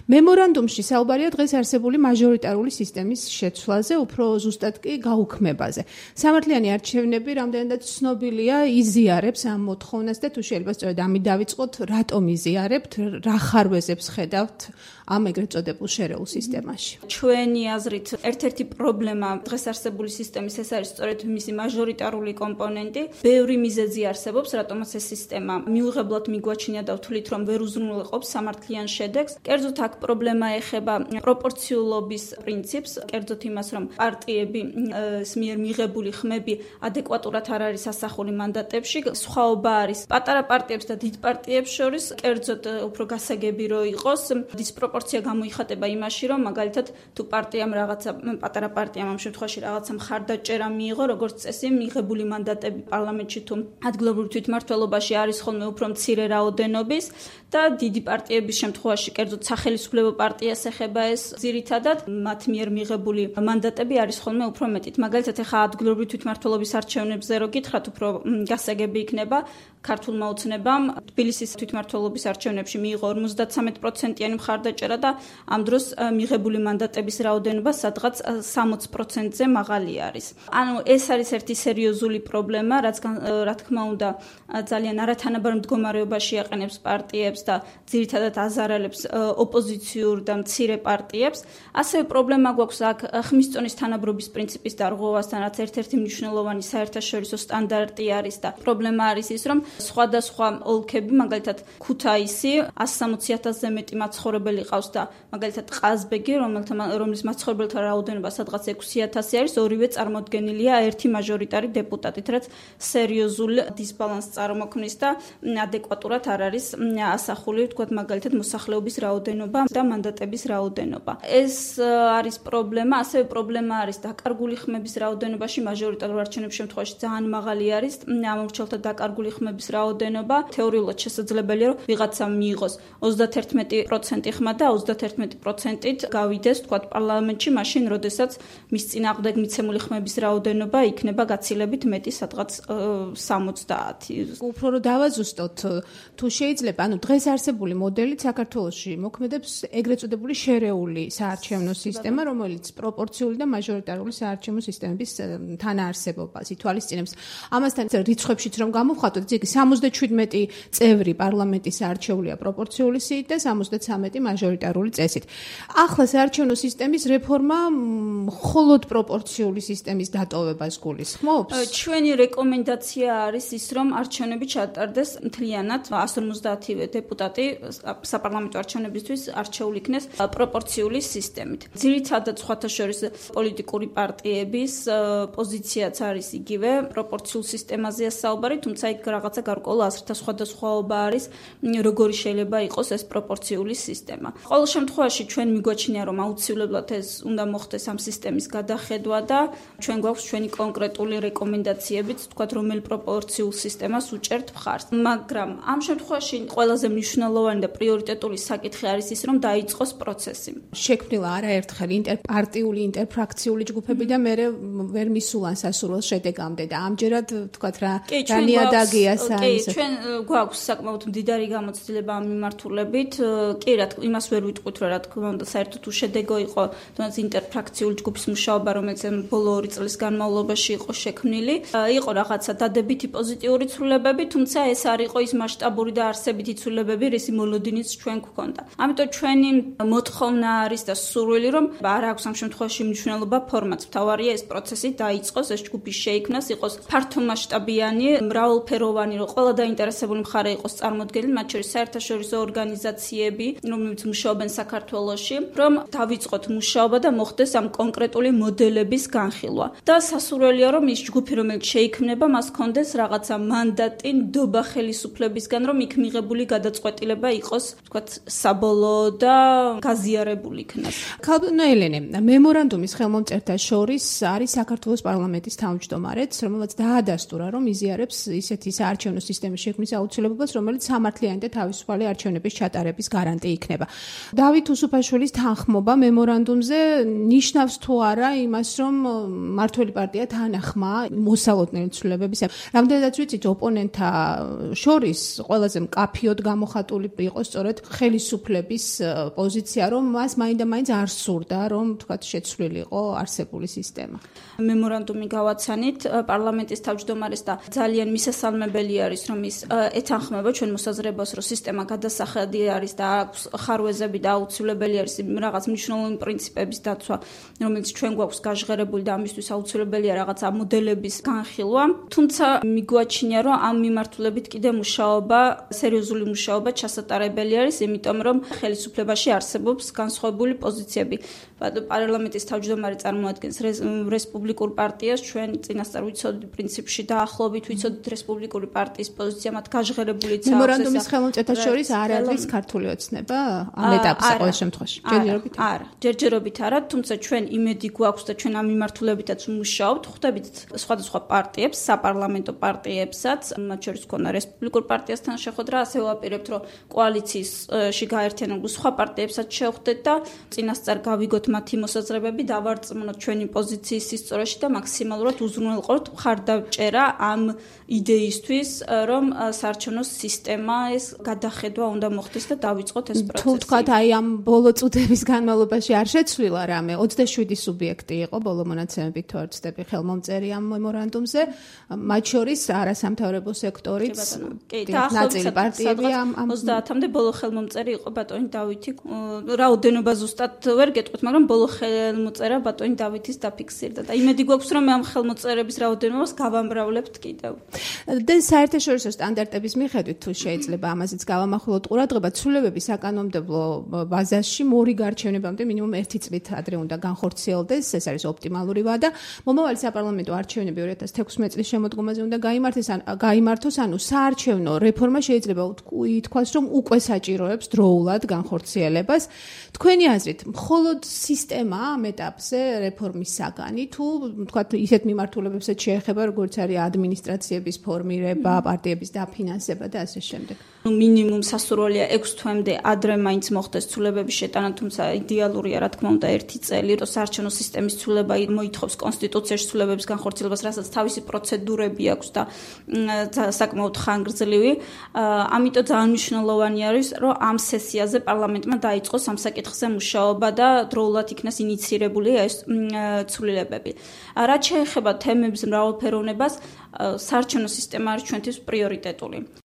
მემორანდუმში საუბარია დღეს არსებული მაჟორიტარული სისტემის შეცვლაზე, უფრო ზუსტად კი გაუქმებაზე. სამართლიანი არჩევნები რამდენადაც ცნობილია, იზიარებს ამ მოთხოვნას და თუ შეიძლება სწორედ ამით დავიწყოთ, რატომ იზიარებთ, რა ხარვეზებს ხედავთ ამ ეგრეთ წოდებულ შერეულ სისტემაში. ჩვენი აზრით ერთ-ერთი პრობლემა დღეს არსებული სისტემის ეს არის სწორედ მისი მაჟორიტარული კომპონენტი. ბევრი მიზეზი არსებობს, რატომაც ეს სისტემა მიუღებლად მიგვაჩნია და ვთვლით, რომ ვერ უზრუნველყოფს სამართლიან შედეგს. კერძოდ აქ პრობლემა ეხება პროპორციულობის პრინციპს, კერძოდ იმას, რომ პარტიები მიერ მიღებული ხმები ადეკვატურად არ არის ასახული მანდატებში. სხვაობა არის პატარა პარტიებს და დიდ პარტიებს შორის, კერძოდ უფრო გასაგები რო იყოს, დისპროპორცია გამოიხატება იმაში, რომ მაგალითად თუ პარტიამ რაღაცა პატარა პარტიამ ამ შემთხვევაში რაღაცა მხარდაჭერა მიიღო, როგორც წესი, მიღებული მანდატები პარლამენტში თუ ადგილობრივ თვითმმართველობაში არის ხოლმე უფრო მცირე რაოდენობის და დიდი პარტიების შემთხვევაში, კერძოდ სახელისუფლებო პარტიას ეხება ეს ძირითადად, მათ მიერ მიღებული მანდატები არის ხოლმე უფრო მეტით. მაგალითად, ეხა ადგილობრივი თვითმმართველობის არჩევნებზე რო გითხრათ, უფრო გასაგები იქნება, ქართულმა ოცნებამ თბილისის თვითმმართველობის არჩევნებში მიიღო 53%-იანი მხარდაჭერა და ამ დროს მიღებული მანდატების რაოდენობა სადღაც 60%-ზე მაღალი არის. ანუ ეს არის ერთი სერიოზული პრობლემა, რაც რა თქმა უნდა ძალიან არათანაბარ მდგომარეობაში აყენებს პარტიებს და ძირითადად აზარალებს ოპოზიციურ და მცირე პარტიებს. ასევე პრობლემა გვაქვს აქ ხმის წონის თანაბრობის პრინციპის დარღვევასთან, რაც ერთ-ერთი მნიშვნელოვანი საერთაშორისო სტანდარტი არის და პრობლემა არის ის, რომ სხვადასხვა ოლქები, მაგალითად ქუთაისი 160,000-ზე მეტი მაცხოვრებელი ყავს და მაგალითად ყაზბეგი, რომლის მაცხოვრებელთა რაოდენობა სადღაც 6,000 არის, ორივე წარმოდგენილია ერთი მაჟორიტარი დეპუტატით, რაც სერიოზულ დისბალანსს წარმოქმნის და ადეკვატურად არ არის ასახული, ვთქვათ, მაგალითად მოსახლეობის რაოდენობა და მანდატების რაოდენობა. ეს არის პრობლემა, ასევე პრობლემა არის დაკარგული ხმების რაოდენობაში, მაჟორიტარულ არჩევნების შემთხვევაში ძალიან მაღალი არის ამორჩეულთა დაკარგული ხმების რაოდენობა. თეორიულად შესაძლებელია, რომ ვიღაცამ მიიღოს 31% ხმა და 31%-ით გავიდეს, ვთქვათ, პარლამენტში, მაშინ, როდესაც მის წინააღმდეგ მიცემული ხმების რაოდენობა იქნება გაცილებით მეტი, სადღაც 70. უფრო რომ დავაზუსტოთ, თუ შეიძლება, ანუ დღეს არსებული მოდელით საქართველოში მოქმედებს ეგრეთ წოდებული შერეული საარჩევნო სისტემა, რომელიც პროპორციული და მაჟორიტარული საარჩევნო სისტემების თანაარსებობას ითვალისწინებს. ამასთან რიცხვებშიც რომ გამოვხატოთ, იგი 77 წევრი პარლამენტის არჩეულია პროპორციული სიით და 73 მაჟორიტარული წესით. ახლა საარჩევნო სისტემის რეფორმა მხოლოდ პროპორციული სისტემის დატოვებას გულისხმობს? ჩვენი რეკომენდაცია არის ის, რომ არჩევნები ჩატარდეს მთლიანად 150 დეპუტატი საპარლამენტო არჩევნებისთვის არჩეული იქნეს პროპორციული სისტემით. ძირითადად სხვათა შორის პოლიტიკური პარტიების პოზიციაც არის იგივე, პროპორციულ სისტემაზეა საუბარი, თუმცა იქ რაღაცა გარკვეულ აზრთა სხვადასხვაობა არის, როგორი შეიძლება იყოს ეს პროპორციული სისტემა. ყოველ შემთხვევაში ჩვენ მიგვაჩნია, რომ აუცილებლად ეს უნდა მოხდეს ამ სისტემის გადახედვა და ჩვენ გვაქვს ჩვენი კონკრეტული რეკომენდაციებიც, თქვათ, რომელ პროპორციულ სისტემას უჭერთ მხარს. მაგრამ ამ შემთხვევაში ყველაზე მნიშვნელოვანი და პრიორიტეტული საკითხი არის ის, რომ დაიწყოს პროცესი. შექმნილა არაერთხელ ინტერპარტიული, ინტერფრაქციული ჯგუფები და მე ვერ მისულან სასურველ შედეგამდე და ამჯერად, თქვათ, რა ნიადაგია კი, ჩვენ გვაქვს საკმაოდ მდიდარი გამოცდილება ამ მიმართულებით. კი, რა თქმა უნდა, იმას ვერ ვიტყვით, რა თქმა უნდა, საერთოდ უშედეგო იყო თუნდაც ინტერფრაქციული ჯგუფის მუშაობა, რომელიც ბოლო 2 წლის განმავლობაში იყო შექმნილი. იყო რაღაცა დადებითი პოზიტიური ცვლილებები, თუმცა ეს არ იყო ის მასშტაბური და არსებითი ცვლილებები, რისი მოლოდინიც ჩვენ გვქონდა. ამიტომ ჩვენი მოთხოვნა არის და სურვილი, რომ არ აქვს ამ შემთხვევაში მნიშვნელობა ფორმაც. მთავარია ეს პროცესი დაიწყოს, ეს ჯგუფი შეიქმნას, იყოს ფართომასშტაბიანი, მრავალფეროვანი, რომ ყველა დაინტერესებული მხარე იყოს წარმოდგენილი, მათ შორის საერთაშორისო ორგანიზაციები, რომლებიც მუშაობენ საქართველოში, რომ დავიწყოთ მუშაობა და მოხდეს ამ კონკრეტული მოდელების განხილვა. და სასურველია, რომ ის ჯგუფი, რომელიც შეიქმნება, მას ჰქონდეს რაღაცა მანდატი ნდობა ხელისუფლებისგან, რომ იქ მიღებული გადაწყვეტილება იყოს, ვთქვათ, საბოლოო და გაზიარებული იქნას. ქალბატონო ელენე, მემორანდუმის ხელმომწერთა შორის არის საქართველოს პარლამენტის თავმჯდომარეც, რომელმაც დაადასტურა, რომ იზიარებს ისეთი საარჩევნო საარჩევნო სისტემის შექმნის აუცილებლობას, რომელიც სამართლიანი და თავისუფალი არჩევნების ჩატარების გარანტი იქნება. დავით უსუფაშვილის თანხმობა მემორანდუმზე ნიშნავს თუ არა იმას, რომ მმართველი პარტია თანახმა მოსალოდნელი ცვლილებებისა. რამდენადაც ვიცით, ოპონენტთა შორის ყველაზე მკაფიოდ გამოხატული იყო სწორედ ხელისუფლების პოზიცია, რომ მას მაინდა-მაინც არ სურდა, რომ თქვათ შეცვლილიყო არსებული სისტემა. მემორანდუმი გავაცანით პარლამენტის თავმჯდომარეს და ძალიან მისასალმებელი არის, რომ ის ეთანხმება ჩვენ მოსაზრებას, რომ სისტემა გადასახედი არის და აქვს ხარვეზები და აუცილებელი არის რაღაც მნიშვნელოვანი პრინციპების დაცვა, რომელიც ჩვენ გვაქვს გაჟღერებული და ამისთვის აუცილებელია რაღაცა მოდელების განხილვა. თუმცა მიგვაჩნია, რომ ამ მიმართულებით კიდე მუშაობა, სერიოზული მუშაობა ჩასატარებელი არის, იმიტომ რომ ხელისუფლებაში არსებობს განსხვავებული პოზიციები. პარლამენტის თავმჯდომარე წარმოადგენს რესპუბლიკურ პარტიას, ჩვენ წინასწარ ვიცოდით პრინციპში დაახლოებით ვიცოდით რესპუბლიკური პარტიის პოზიცია, მათ გაჟღერებულიც აქვს. მემორანდუმის ხელმოწერთა შორის არ არის ქართული ოცნება ამ ეტაპზე ყოველ შემთხვევაში. ჯერჯერობით არა, ჯერჯერობით არა, თუმცა ჩვენ იმედი გვაქვს და ჩვენ ამ მიმართულებითაც მუშაობთ, ხვდებით სხვადასხვა პარტიებს, საპარლამენტო პარტიებსაც, მათ შორის ქონა რესპუბლიკურ პარტიასთან შეხვედრა, ასე ვაპირებთ, რომ კოალიციაში გაერთიანებულ სხვა პარტიებსაც შევხვდეთ და წინასწარ გავიგოთ მათი მოსაზრებები, დავარწმუნოთ ჩვენი პოზიციის სისწორეში და მაქსიმალურად უზრუნველყოთ მხარდაჭერა ამ იდეისთვის, რომ საარჩევნო სისტემის გადახედვა უნდა მოხდეს და დავიწყოთ ეს პროცესი. თუ თქვათ, აი ამ ბოლო წუთების განმავლობაში არ შეცვლილა რამე, 27 სუბიექტი იყო ბოლო მონაცემებით თუ არ ვცდები ხელმომწერი ამ მემორანდუმზე, მათ შორის არასამთავრობო სექტორიც, ნაწილი პარტიები ამ 30-მდე ბოლო ხელმომწერი იყო ბატონი დავითი. რაოდენობა ზუსტად ვერ გეტყვით, მაგრამ ბოლო ხელმოწერა ბატონი დავითის დაფიქსირდა და იმედი გვაქვს, რომ ამ ხელმოწერების რაოდენობას გავამრავლებთ კიდევ. და საერთაშორისო სტანდარტების მიხედვით თუ შეიძლება ამაზეც გავამახვილოთ ყურადღება, ცვლილებები საკანონმდებლო ბაზაში მორიგ არჩევნებამდე მინიმუმ 1 წლით ადრე უნდა განხორციელდეს, ეს არის ოპტიმალური ვადა. მომავალი საპარლამენტო არჩევნები 2016 წლის შემოდგომაზე უნდა გაიმართოს, ანუ საარჩევნო რეფორმა შეიძლება ითქვას, რომ უკვე საჭიროებს დროულად განხორციელებას. თქვენი აზრით, მხოლოდ სისტემა ამ ეტაპზე რეფორმის საგანი თუ თქვათ ისეთ მიმართულებებსაც შეეხება, როგორც არის ადმინისტრაციების ფორმირება, პარტიების დაფინანსება და ასე შემდეგ. მინიმუმ სასურველია 6 თვემდე ადრე მაინც მოხდეს ცვლილებების შეტანა, თუმცა იდეალურია რა თქმა უნდა 1 წელი, რომ საარჩევნო სისტემის ცვლილება მოითხოვს კონსტიტუციაში ცვლილებების განხორციელებას, რასაც თავისი პროცედურები აქვს და საკმაოდ ხანგრძლივი. ამიტომ ძალიან მნიშვნელოვანი არის, რომ ამ სესიაზე პარლამენტმა დაიწყოს ამ საკითხზე მუშაობა და დროულად იქნას ინიცირებული ეს ცვლილებები. რაც შეეხება თემების მრავალფეროვნებას, საარჩევნო სისტემა არის ჩვენთვის პრიორიტეტული.